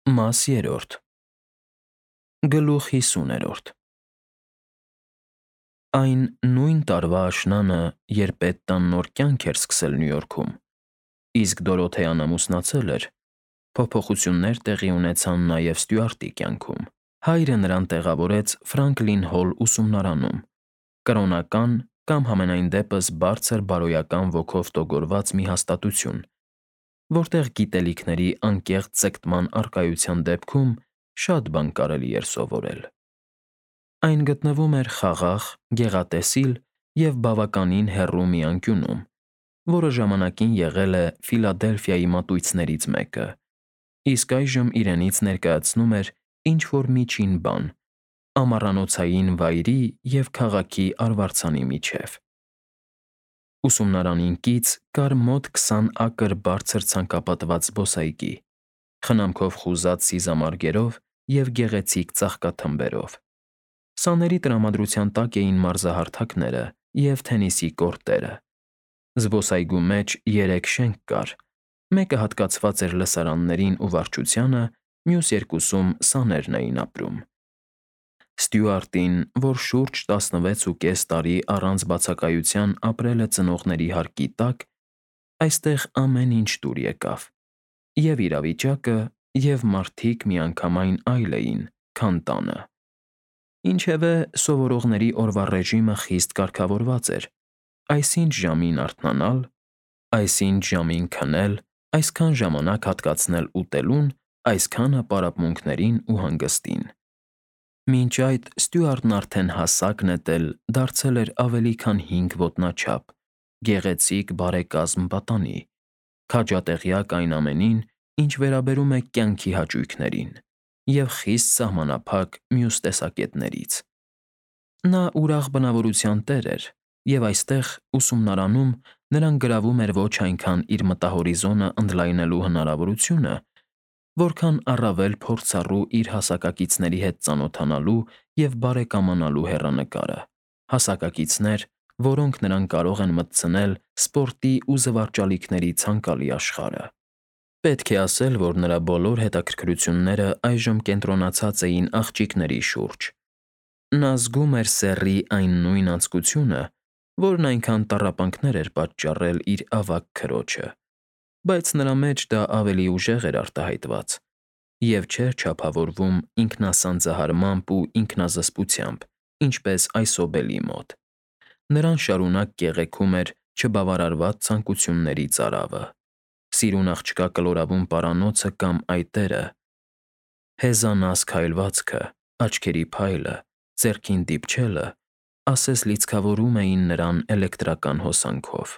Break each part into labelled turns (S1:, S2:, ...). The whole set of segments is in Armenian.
S1: Մաս 3 Գլուխ 50 Այն նույն տարվա աշնանը, երբ Պետտան նոր կյանք էր սկսել Նյու Յորքում, իսկ Դորոթեան ամուսնացել էր, փոփոխություններ տեղի ունեցան նաև Ստյուարտի կյանքում։ Հայրը նրան տեղավորեց Ֆրանկլին Հոլ ուսումնարանում, կրոնական կամ համենայն դեպս բարձր բարոյական ոգով տոգորված մի հաստատություն, որտեղ գիտելիքների անկեղծ ձգտման առկայության դեպքում շատ բան կարելի էր սովորել։ Այն գտնվում էր խաղաղ, գեղատեսիլ և բավականին հեռու մի անկյունում, որը ժամանակին եղել է Ֆիլադելֆիայի մատույցներից մեկը, իսկ այժմ իրենից ներկայացնում էր ինչ-որ միջին բան՝ ամառանոցային վայրի և քաղաքի արվարձանի միջև։ Ուսումնարանին կից կար մոտ 20 ակր բարձր ցանկապատված զբոսայգի՝ խնամքով խուզած սիզամարգերով և գեղեցիկ ծաղկաթմբերով։ Սաների տրամադրության տակ էին մարզահարթակները և թենիսի կորտերը։ Զբոսայգու մեջ 3 շենք կար, մեկը հատկացված էր լսարաններին ու վարչությանը, մյուս երկուսում սաներն էին ապրում։ Ստյուարտին, որ շուրջ 16.5 տարի առանց բացակայության ապրել է ծնողների հարկի տակ, այստեղ ամեն ինչ դուր եկավ՝ և՛ իրավիճակը, և՛ մարդիկ միանգամայն այլ էին, քան տանը։ Ինչևէ, սովորողների օրվա ռեժիմը խիստ կարգավորված էր՝ այսինչ ժամին արթնանալ, այսինչ ժամին քնել, այսքան ժամանակ հատկացնել ուտելուն, այսքանը պարապմունքներին ու հանգստին։ Մինչ այդ Ստյուարտն արդեն հասակ նետել դարձել էր ավելի քան 5 ոտնաչափ, գեղեցիկ բարեկազմ պատանի, քաջատեղյակ այն ամենին, ինչ վերաբերում է կյանքի հաճույքներին, և խիստ սահմանափակ մյուս տեսակետներից։ Նա ուրախ բնավորության տեր էր, և այստեղ, ուսումնարանում, նրան գրավում էր ոչ այնքան իր մտահորիզոնը ընդլայնելու հնարավորությունը, որքան առավել փորձառու իր հասակակիցների հետ ծանոթանալու և բարեկամանալու հեռանկարը, հասակակիցներ, որոնք նրան կարող են մտցնել սպորտի ու զվարճալիքների ցանկալի աշխարհը։ Պետք է ասել, որ նրա բոլոր հետաքրքրությունները այժմ կենտրոնացած էին աղջիկների շուրջ։ Նա զգում էր սեռի այն նույն անձկությունը, որն այնքան տառապանքներ էր պատճառել իր ավագ քրոջը, բայց նրա մեջ դա ավելի ուժեղ էր արտահայտված և չէր չափավորվում ինքնասանձահարմամբ ու ինքնազսպությամբ, ինչպես այսօբելի մոտ։ Նրան շարունակ կեղեքում էր չբավարարված ցանկությունների ծարավը՝ սիրուն աղջկա կլորավուն պարանոցը կամ այտերը, հեզանաս քայլվածքը, աչքերի փայլը, ձեռքին դիպչելը, ասես լիցքավորում էին նրան էլեկտրական հոսանքով։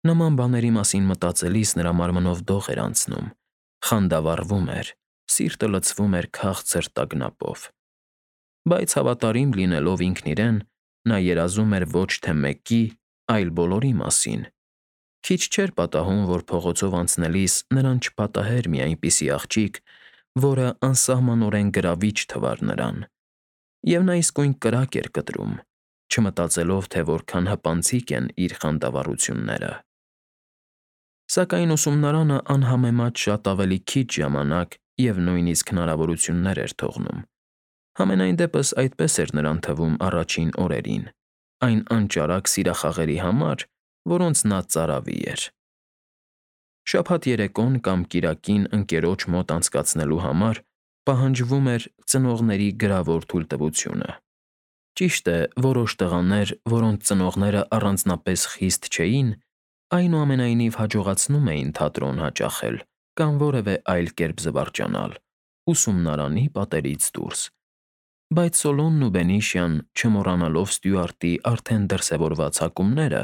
S1: Նման բաների մասին մտածելիս նրա մարմնով դող էր անցնում, խանդավառվում էր, սիրտը լցվում էր քաղցր տագնապով։ Բայց հավատարիմ լինելով ինքն իրեն, նա երազում էր ոչ թե մեկի, այլ բոլորի մասին։ Քիչ չէր պատահում, որ փողոցով անցնելիս նրան չպատահեր մի այնպիսի աղջիկ, որը անսահմանորեն գրավիչ թվար նրան, և նա իսկույն կրակ էր կտրում, չմտածելով, թե որքան հպանցիկ են իր խանդավառությունները։ Սակայն ուսումնարանը անհամեմատ շատ ավելի քիչ ժամանակ և նույնիսկ հնարավորություններ էր թողնում։ Համենայն դեպս այդպես էր նրան թվում առաջին օրերին, այն անճարակ սիրախաղերի համար, որոնց նա ծարավի էր։ Շաբաթ երեկոն կամ կիրակին ընկերոջ մոտ անցկացնելու համար պահանջվում էր ծնողների գրավոր թույլտվությունը։ Ճիշտ է, որոշ տղաներ, որոնց ծնողները առանձնապես խիստ չէին, այնուամենայնիվ հաջողացնում էին թատրոն հաճախել կամ որևէ այլ կերպ զվարճանալ՝ ուսումնարանի պատերից դուրս։ Բայց Սոլոմոնն ու Բենիշյան, չմոռանալով Ստյուարտի արդեն դրսևորված հակումները,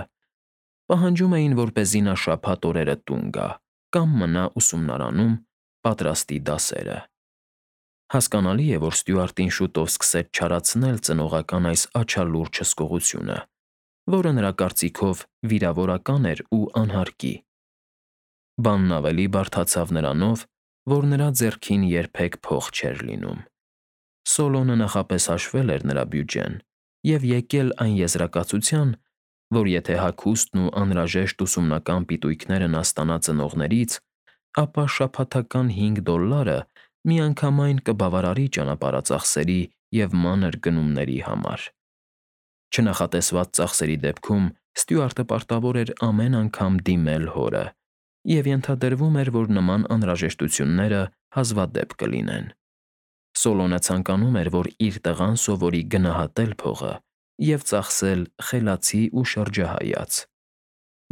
S1: պահանջում էին, որպեսզի նա շաբաթ օրերը տուն գա կամ մնա ուսումնարանում, պատրաստի դասերը։ Հասկանալի է, որ Ստյուարտին շուտով սկսեց չարացնել ծնողական այս աչալուրջ հսկողությունը, որը նրա կարծիքով վիրավորական էր ու անհարկի։ Բանն ավելի բարդացավ նրանով, որ նրա ձեռքին երբեք փող չէր լինում։ Սոլոմոնը նախապես հաշվել էր նրա բյուջեն և եկել այն եզրակացության, որ եթե հագուստն ու անհրաժեշտ ուսումնական պիտույքները նա ստանա ծնողներից, ապա շաբաթական $5 միանգամայն կբավարարի ճանապարհածախսերի և մանր գնումների համար։ Չնախատեսված ծախսերի դեպքում Ստյուարտը պարտավոր էր ամեն անգամ դիմել հորը, և ենթադրվում էր, որ նման անհրաժեշտությունները հազվադեպ կլինեն։ Սոլոնը ցանկանում էր, որ իր տղան սովորի գնահատել փողը և ծախսել խելացի ու շրջահայաց։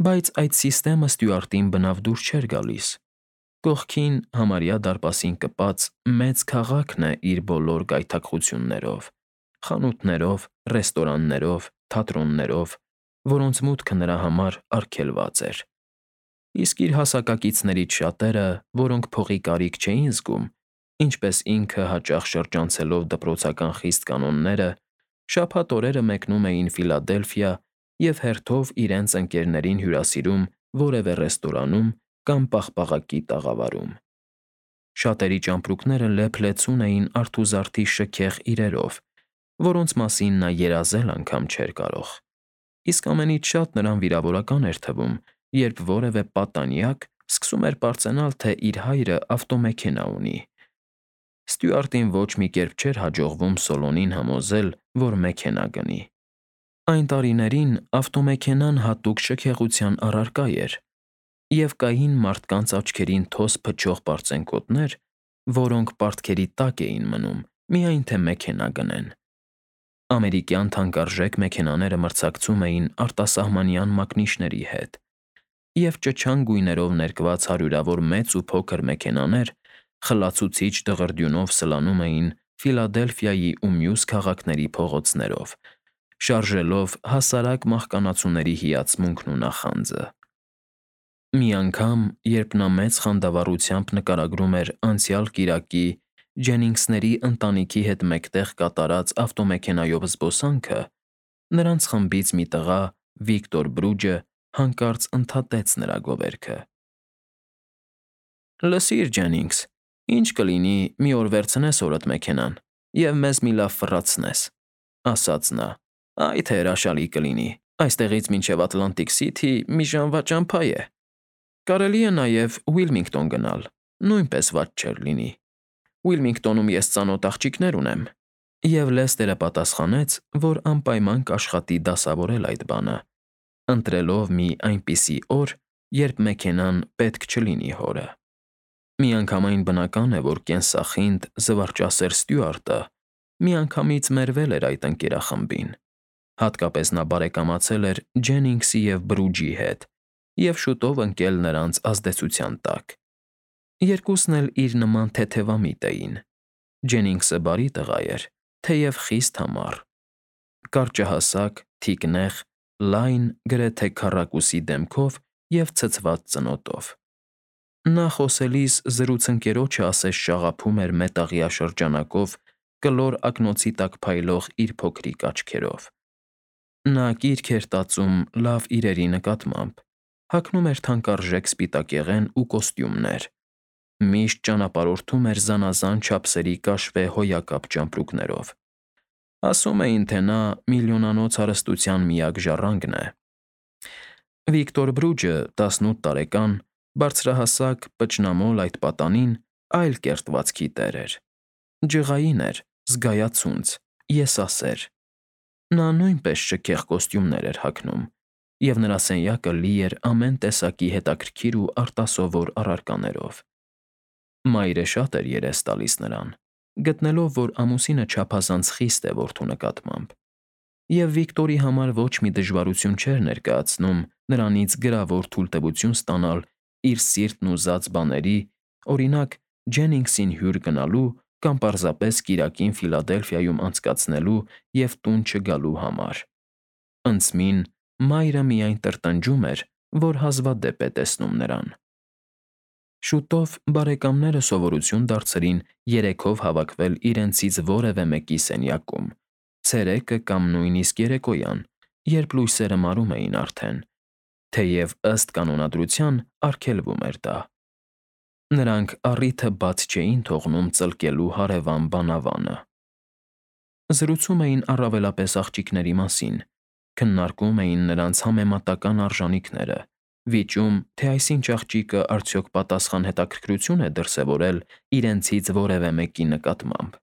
S1: Բայց այդ սիստեմը Ստյուարտին բնավ դուր չէր գալիս։ Կողքին, համարյա դարպասին կպած, մեծ քաղաքն է իր բոլոր գայթակղություններով, խանութներով, ռեստորաններով, թատրոններով, որոնց մուտքը նրա համար արգելված էր։ Իսկ իր հասակակիցներից շատերը, որոնք փողի կարիք չէին զգում, ինչպես ինքը հաճախ շրջանցելով դպրոցական խիստ կանոնները, շաբաթ օրերը մեկնում էին Ֆիլադելֆիա և հերթով իրենց ընկերներին հյուրասիրում որևէ ռեստորանում կամ պաղպաղակի տաղավարում։ Շատերի ճամպրուկները լեփ-լեցուն էին արթուզարդի շքեղ իրերով, որոնց մասին նա երազել անգամ չէր կարող։ Իսկ ամենից շատ նրան վիրավորական էր թվում, երբ որևէ պատանյակ սկսում էր պարծենալ, թե իր հայրը ավտոմեքենա ունի։ Ստյուարտին ոչ մի կերպ չէր հաջողվում Սոլոնին համոզել, որ մեքենա գնի։ Այն տարիներին ավտոմեքենան հատուկ շքեղության առարկա էր, և կային մարդկանց աչքերին թոս փչող պարծենկոտներ, որոնք պարտքերի տակ էին մնում, միայն թե մեքենա գնեն։ Ամերիկյան թանկարժեք մեքենաները մրցակցում էին արտասահմանյան մակնիշների հետ, և ճչան գույներով ներկված հարյուրավոր մեծ ու փոքր մեքենաներ խլացուցիչ դղրդյունով սլանում էին Ֆիլադելֆիայի ու մյուս քաղաքների փողոցներով, շարժելով հասարակ մահկանացուների հիացմունքն ու նախանձը։ Մի անգամ, երբ նա մեծ խանդավառությամբ նկարագրում էր անցյալ կիրակի Ջենինգսների ընտանիքի հետ մեկտեղ կատարած ավտոմեքենայով զբոսանքը, նրանց խմբից մի տղա՝ Վիկտոր Բրուջը, հանկարծ ընդհատեց նրա գովերքը։ «Լսիր, Ջենինգս, ինչ կլինի մի օր վերցնես հորդ մեքենան և մեզ մի լավ ֆռացնես», ֊ ասաց նա։ «Այ թե հրաշալի կլինի, այստեղից մինչև Ատլանտիկ Սիթի մի ժամվա ճամփա է։ Կարելի է նաև Ուիլմինգտոն գնալ, նույնպես վատ չէր լինի։ Ուիլմինգտոնում ես ծանոթ աղջիկներ ունեմ»։ Եվ Լեսթերը պատասխանեց, որ անպայման կաշխատի դասավորել այդ բանը, ընտրելով մի այնպիսի օր, երբ մեքենան պետք չլինի հորը։ Միանգամայն բնական է, որ կենսախինդ, զվարճասեր Ստյուարտը միանգամից մերվել էր այդ ընկերախմբին։ Հատկապես նա բարեկամացել էր Ջենինգսի և Բրուջի հետ և շուտով ընկել նրանց ազդեցության տակ։ Երկուսն էլ իր նման թեթևամիտ էին։ Ջենինգսը բարի տղա էր, թեև խիստ համառ, կարճահասակ, թիկնեղ, լայն, գրեթե քառակուսի դեմքով և ցցված ծնոտով։ Նա խոսելիս զրուցընկերոջը ասես շաղափում էր մետաղյա շրջանակով կլոր ակնոցի տակ փայլող իր փոքրիկ աչքերով։ Նա կիրք էր տածում լավ իրերի նկատմամբ, հագնում էր թանկարժեք սպիտակեղեն ու կոստյումներ, միշտ ճանապարհորդում էր զանազան չափսերի կաշվե հոյակապ ճամպրուկներով։ Ասում էին, թե նա միլիոնանոց հարստության միակ ժառանգն է։ Վիկտոր Բրուջը, 18 տարեկան, բարձրահասակ, պճնամոլ այդ պատանին այլ կերտվածքի տեր էր։ Ջղային էր, զգայացունց, եսասեր։ Նա նույնպես շքեղ կոստյումներ էր հագնում, և նրա սենյակը լի էր ամեն տեսակի հետաքրքիր ու արտասովոր առարկաներով։ Մայրը շատ էր երես տալիս նրան, գտնելով, որ ամուսինը չափազանց խիստ է որդու նկատմամբ, և Վիկտորի համար ոչ մի դժվարություն չէր ներկայացնում նրանից գրավոր թույլտվություն ստանալ իր սիրտն ուզած բաների, օրինակ՝ Ջենինգսին հյուր գնալու կամ պարզապես կիրակին Ֆիլադելֆիայում անցկացնելու և տուն չգալու համար։ Ընծմին մայրը միայն տրտնջում էր, որ հազվադեպ է տեսնում նրան։ Շուտով բարեկամները սովորություն դարձրին երեքով հավաքվել իրենցից որևէ մեկի սենյակում, ցերեկը կամ նույնիսկ երեկոյան, երբ լույսերը մարում էին արդեն, թեև ըստ կանոնադրության արգելվում էր դա։ Նրանք առիթը բաց չէին թողնում ծլկելու հարևան բանավանը։ Զրուցում էին առավելապես աղջիկների մասին, քննարկում էին նրանց համեմատական արժանիքները, վիճում, թե այսինչ աղջիկը արդյոք պատասխան հետաքրքրություն է դրսևորել իրենցից որևէ մեկի նկատմամբ։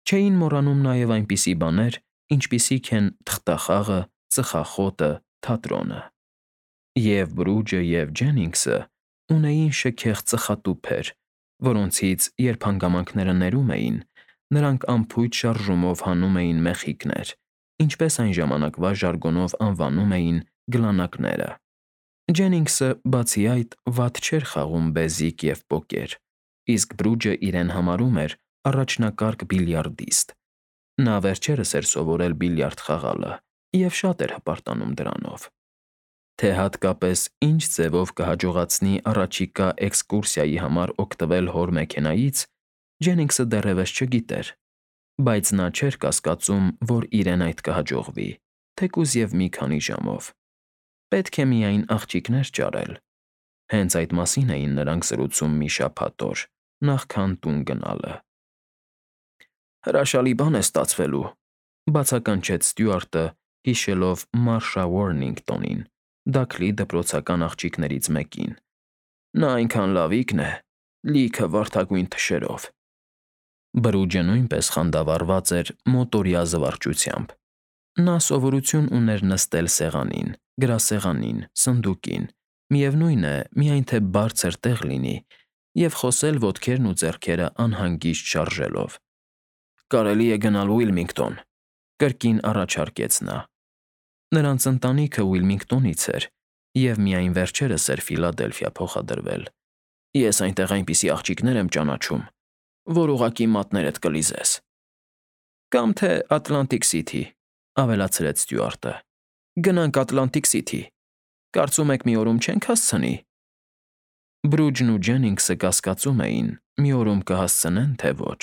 S1: Չէին մոռանում նաև այնպիսի բաներ, ինչպիսիք են թղթախաղը, ծխախոտը, թատրոնը։ Եվ Բրուջը և Ջենինգսը ունեին շքեղ ծխատուփեր, որոնցից, երբ հանգամանքները ներում էին, նրանք անփույթ շարժումով հանում էին մեխիկներ, ինչպես այն ժամանակվա ժարգոնով անվանում էին գլանակները։ Ջենինգսը, բացի այդ, վատ չէր խաղում բեզիկ և պոկեր, իսկ Բրուջը իրեն համարում էր առաջնակարգ բիլիարդիստ։ Նա վերջերս էր սովորել բիլիարդ խաղալը և շատ էր հպարտանում դրանով։ Թե հատկապես ինչ ձևով կհաջողացնի առաջիկա էքսկուրսիայի համար օգտվել հոր մեքենայից, Ջենինգսը դեռևս չգիտեր, բայց նա չէր կասկածում, որ իրեն այդ կհաջողվի, թեկուզ և մի քանի ժամով։ Պետք է միայն աղջիկներ ճարել։ Հենց այդ մասին էին նրանք զրուցում մի շաբաթ օր, նախքան տուն գնալը։ «Հրաշալի բան է ստացվելու», բացականչեց Ստյուարտը, հիշելով Մարշա Ուորնինգտոնին, Դաքլի դպրոցական աղջիկներից մեկին։ «Նա այնքան լավիկն է, լիքը վարդագույն թշերով»։ Բրուջը նույնպես խանդավառված էր մոտորյա զվարճությամբ։ Նա սովորություն ուներ նստել սեղանին, գրասեղանին, սնդուկին, միևնույն է, միայն թե բարձր տեղ լինի, և խոսել ոտքերն ու ձեռքերը անհանգիստ շարժելով։ «Կարելի է գնալ Ուիլմինգտոն», կրկին առաջարկեց նա։ Նրանց ընտանիքը Ուիլմինգտոնից էր և միայն վերջերս էր Ֆիլադելֆիա փոխադրվել։ Ես այնտեղ այնպիսի աղջիկներ եմ ճանաչում, որ ուղղակի մատներդ կլիզես։ Կամ թե Ատլանտիկ Սիթի, ավելացրեց Ստյուարտը։ Գնանք Ատլանտիկ Սիթի։ Կարծում եք մի օրում չենք հասցնի։ Բրուջն ու Ջենինգսը կասկածում էին՝ մի օրում կհասցնեն, թե ոչ,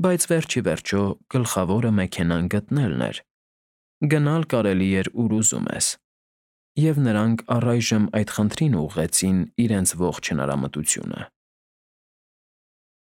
S1: բայց վերջ ի վերջո գլխավորը մեքենան գտնելն էր։ Գնալ կարելի էր ուր ուզում ես։ Եվ նրանք առայժմ այդ խնդրին ուղղեցին իրենց ողջ հնարամտությունը։